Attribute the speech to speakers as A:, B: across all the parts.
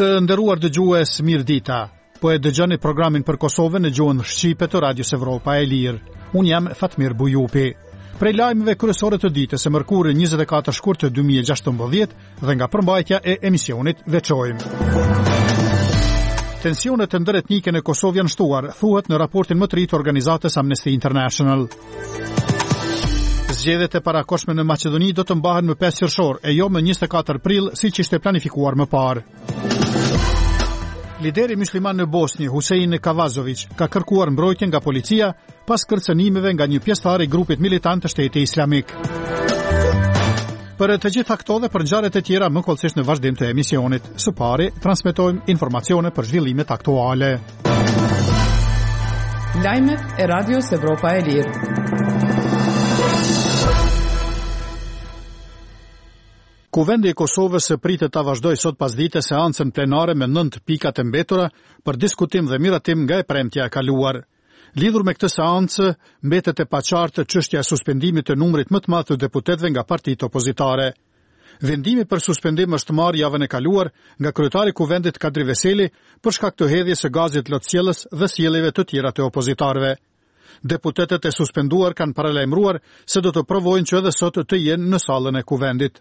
A: Të nderuar dëgjues, mirëdita. Po e dëgjoni programin për Kosovën në gjuhën shqipe të Radios Evropa e Lirë. Unë jam Fatmir Bujupi. Prej lajmeve kryesore të ditës së mërkurë 24 shkurt të 2016 dhe nga përmbajtja e emisionit veçojmë. Tensionet ndëretnike në Kosovë janë shtuar, thuhet në raportin më të ri të organizatës Amnesty International. Zgjedhjet e parakohshme në Maqedoni do të mbahen më 5 qershor e jo më 24 prill, siç ishte planifikuar më parë. Lideri mysliman në Bosnjë, Husein Kavazović, ka kërkuar mbrojtje nga policia pas kërcënimeve nga një pjesëtar i grupit militant të Shtetit Islamik. Për të gjitha këto dhe për ngjarjet e tjera më hollësisht në vazhdim të emisionit. Së pari, transmetojmë informacione për zhvillimet aktuale.
B: Lajmet e Radios Evropa e Lirë.
A: Kuvendi i Kosovës pritet ta vazhdojë sot pasdite seancën plenare me 9 pikat e mbetura për diskutim dhe miratim nga e premtja e kaluar. Lidhur me këtë seancë, mbetet e paqartë çështja e suspendimit të numrit më të madh të deputetëve nga partitë opozitare. Vendimi për suspendim është marrë javën e kaluar nga kryetari i Kuvendit Kadri Veseli për shkak të hedhjes së gazit lotsjellës dhe sjelljeve të tjera të opozitarëve. Deputetët e suspenduar kanë paralajmëruar se do të provojnë që edhe sot të jenë në sallën e Kuvendit.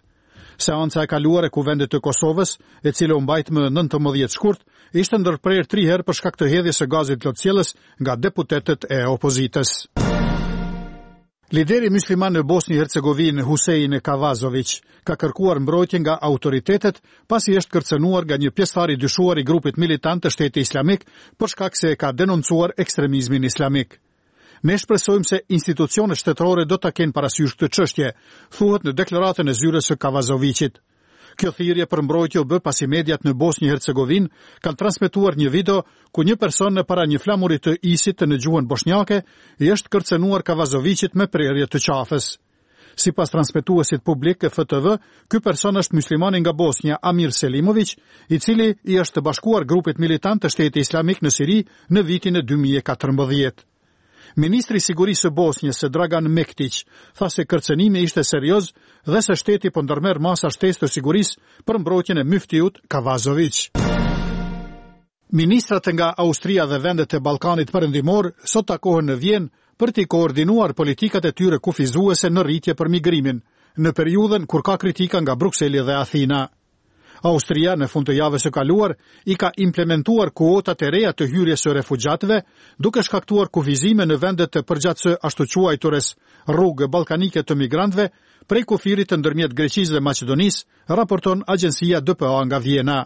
A: Seanca e kaluar e Kuvendit të Kosovës, e cila u mbajt më 19 shkurt, ishte ndërprerë tri herë për shkak të hedhjes së gazit lotsjellës nga deputetët e opozitës. Lideri mysliman në Bosnjë Hercegovinë, Husein Kavazović, ka kërkuar mbrojtje nga autoritetet pasi është kërcënuar nga një pjesëtar i dyshuar i grupit militant të Shtetit Islamik për shkak se e ka denoncuar ekstremizmin islamik. Ne shpresojmë se institucionet shtetërore do ta kenë parasysh këtë çështje, thuhet në deklaratën e zyrës së Kavazoviqit. Kjo thirrje për mbrojtje u bë pasi mediat në Bosnjë Hercegovinë kanë transmetuar një video ku një person në para një flamuri të ISIS-it në gjuhën boshnjake i është kërcënuar Kavazoviqit me prerje të qafës. Sipas transmetuesit publik FTV, ky person është myslimani nga Bosnja, Amir Selimoviq, i cili i është bashkuar grupit militant të Shtetit Islamik në Siri në vitin e 2014. Ministri i Sigurisë së Bosnjës, Dragan Mektiq, tha se kërcënimi ishte serioz dhe se shteti po ndërmerr masa shtesë të sigurisë për mbrojtjen e myftiut Kavazoviq. Ministrat nga Austria dhe vendet e Ballkanit Perëndimor sot takohen në Vjenë për t'i koordinuar politikat e tyre kufizuese në rritje për migrimin, në periudhën kur ka kritika nga Brukseli dhe Athina. Austria në fund të javës së kaluar i ka implementuar kuotat e reja të hyrjes së refugjatëve, duke shkaktuar kufizime në vendet përgjatë së ashtuquajturës rrugë ballkanike të migrantëve prej kufirit ndërmjet Greqisë dhe Maqedonisë, raporton agjencia DPA nga Vjena.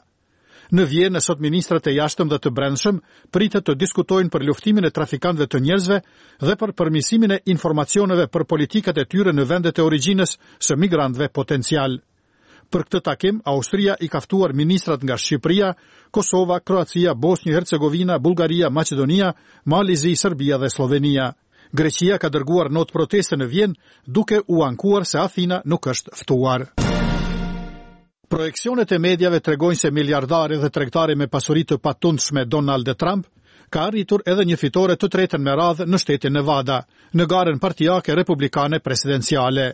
A: Në Vjenë sot ministrat e jashtëm dhe të brendshëm pritet të diskutojnë për luftimin e trafikantëve të njerëzve dhe për përmirësimin e informacioneve për politikat e tyre në vendet e origjinës së migrantëve potencialë. Për këtë takim, Austria i ka ftuar ministrat nga Shqipëria, Kosova, Kroacia, Bosnjë, Hercegovina, Bullgaria, Maqedonia, Mali i Zi, Serbia dhe Sllovenia. Greqia ka dërguar notë proteste në Vjenë, duke u ankuar se Athina nuk është ftuar. Projeksionet e mediave tregojnë se miliardari dhe tregtari me pasuri të patundshme Donald Trump ka arritur edhe një fitore të tretën me radhë në shtetin Nevada, në garën partiake republikane presidenciale.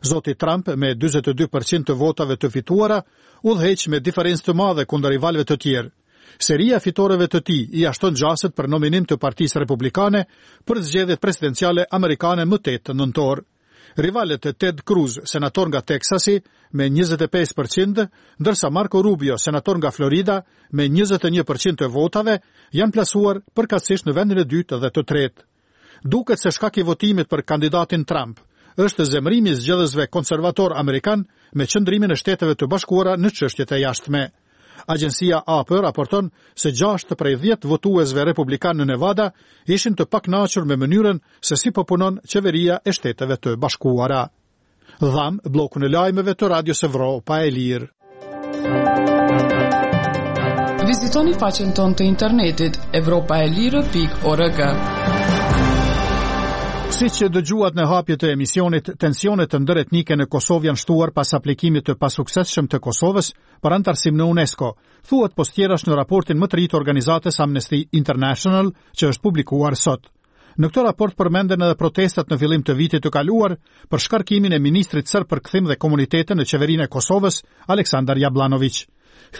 A: Zoti Trump me 42% të votave të fituara udhëheq me diferencë të madhe kundër rivalëve të tjerë. Seria e fitoreve të tij ia shton gjasat për nominim të Partisë Republikane për zgjedhjet presidenciale amerikane më 8 nëntor. Rivalët Ted Cruz, senator nga Teksasi, me 25%, ndërsa Marco Rubio, senator nga Florida, me 21% të votave, janë plasuar përkatësisht në vendin e dytë dhe të tretë. Duket se shkak i votimit për kandidatin Trump është zemërimi i zgjedhësve konservatorë amerikanë me qëndrimin e Shteteve të Bashkuara në çështjet e jashtme. Agjencia AP raporton se 6 prej 10 votuesve republikanë në Nevada ishin të pakënaqur me mënyrën se si po punon qeveria e Shteteve të Bashkuara. Dhamë bllokun e lajmeve të Radios Evropa e Lirë.
B: Vizitoni faqen tonë të internetit evropaelire.org.
A: Siç dëgjuat në hapje të emisionit, tensionet ndëretnike në Kosovë janë shtuar pas aplikimit të pasuksesshëm të Kosovës për anëtarësim në UNESCO, thuhet pos tjerash në raportin më të ri të organizatës Amnesty International që është publikuar sot. Në këtë raport përmenden edhe protestat në fillim të vitit të kaluar për shkarkimin e ministrit serb për kthim dhe komunitete në qeverinë e Kosovës, Aleksandar Jablanoviq.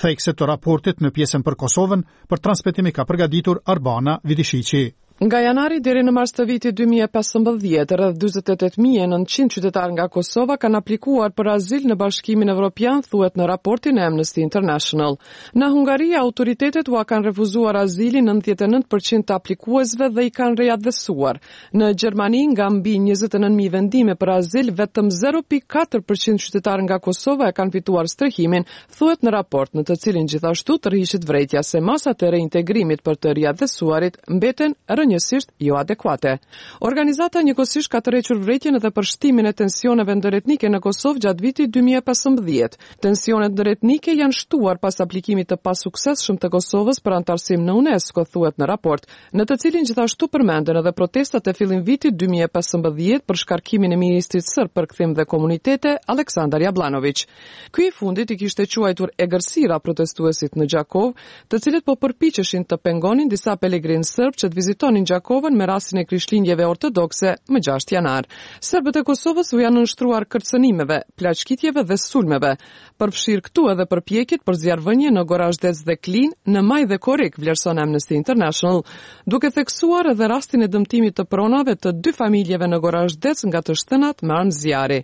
A: Thekse të raportit në pjesën për Kosovën, për transmetim i ka përgatitur Arbana Vidishiqi.
B: Nga janari deri në mars të vitit 2015, rreth 48.900 qytetarë nga Kosova kanë aplikuar për azil në Bashkimin Evropian, thuhet në raportin e Amnesty International. Në Hungari, autoritetet ua kanë refuzuar azilin 99% të aplikuesve dhe i kanë riatdhesuar. Në Gjermani, nga mbi 29.000 vendime për azil, vetëm 0.4% qytetarë nga Kosova e kanë fituar strehimin, thuhet në raport, në të cilin gjithashtu tërhiqet vërejtja se masat e reintegrimit për të riatdhesuarit mbeten rrënjësisht joadekuate. Organizata njëkohësisht ka tërhequr vërejtjen edhe për shtimin e tensioneve ndëretnike në Kosovë gjatë vitit 2015. Tensionet ndëretnike janë shtuar pas aplikimit të pasuksesshëm të Kosovës për anëtarësim në UNESCO, thuhet në raport, në të cilin gjithashtu përmenden edhe protestat e fillim vitit 2015 për shkarkimin e ministrit sërb për kthim dhe komunitete, Aleksandar Jabllanoviq. Ky i fundit i kishte quajtur egërsira protestuesit në Gjakovë, të cilët po përpiqeshin të pengonin disa pelegrinë sërbë që të vizitonin Gjakovën me rastin e Krishtlindjeve ortodokse më 6 janar. Serbët e Kosovës u janë nënshtruar kërcënimeve, plaçkitjeve dhe sulmeve, përfshirë këtu edhe përpjekjet për zjarrvënie në Gorazhdec dhe Klinë në maj dhe korrik, vlerëson Amnesty International, duke theksuar edhe rastin e dëmtimit të pronave të dy familjeve në Gorazhdec nga të shtënat me armë zjarri.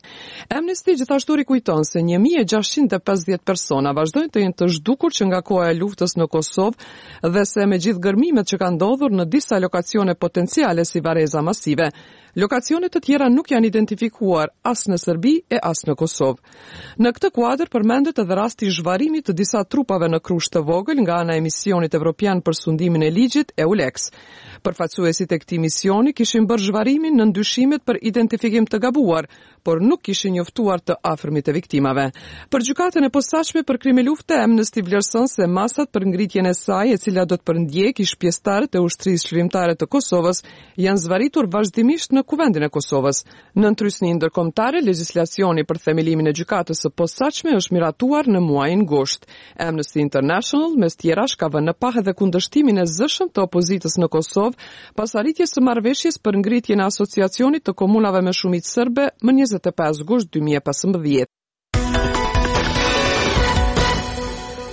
B: Amnesty gjithashtu rikujton se 1650 persona vazhdojnë të jenë të zhdukur që nga koha e luftës në Kosovë dhe se me gjithë gërmimet që kanë ndodhur në disa lokacione potenciale si varreza masive, lokacione të tjera nuk janë identifikuar as në Serbi e as në Kosovë. Në këtë kuadër përmendet edhe rasti i zhvarrimit të disa trupave në Krushë të Vogël nga ana e misionit evropian për sundimin e ligjit EULEX. Përfaqësuesit e këtij misioni kishin bërë zhvarrimin nën dyshimet për identifikim të gabuar, por nuk kishin njoftuar të afërmit e viktimave. Për gjykatën e posaçme për krime lufte, Amnesty vlerëson se masat për ngritjen e saj, e cila do të përndjekë ish pjesëtarët e Ushtrisë Çlirimtare të Kosovës, janë zvarritur vazhdimisht në Kuvendin e Kosovës. Nën trysni ndërkombëtare, legjislacioni për themelimin e gjykatës së posaçme është miratuar në muajin gusht. Amnesty International, mes tjerash, ka vënë në pah edhe kundërshtimin e zëshëm të opozitës në Kosovë pas arritjes së marrëveshjes për ngritjen e Asociacionit të Komunave me shumicë serbe më 25 gusht 2015.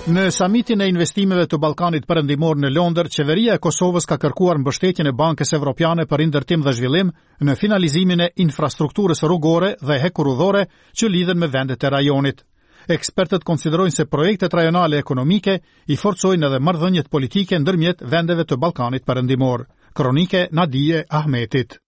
A: Në samitin e investimeve të Ballkanit Perëndimor në Londër, qeveria e Kosovës ka kërkuar mbështetjen e Bankës Evropiane për Rindërtim dhe Zhvillim në finalizimin e infrastrukturës rrugore dhe hekurudhore që lidhen me vendet e rajonit. Ekspertët konsiderojnë se projektet rajonale ekonomike i forcojnë edhe marrëdhëniet politike ndërmjet vendeve të Ballkanit Perëndimor. Kronikë e Nadije Ahmetit.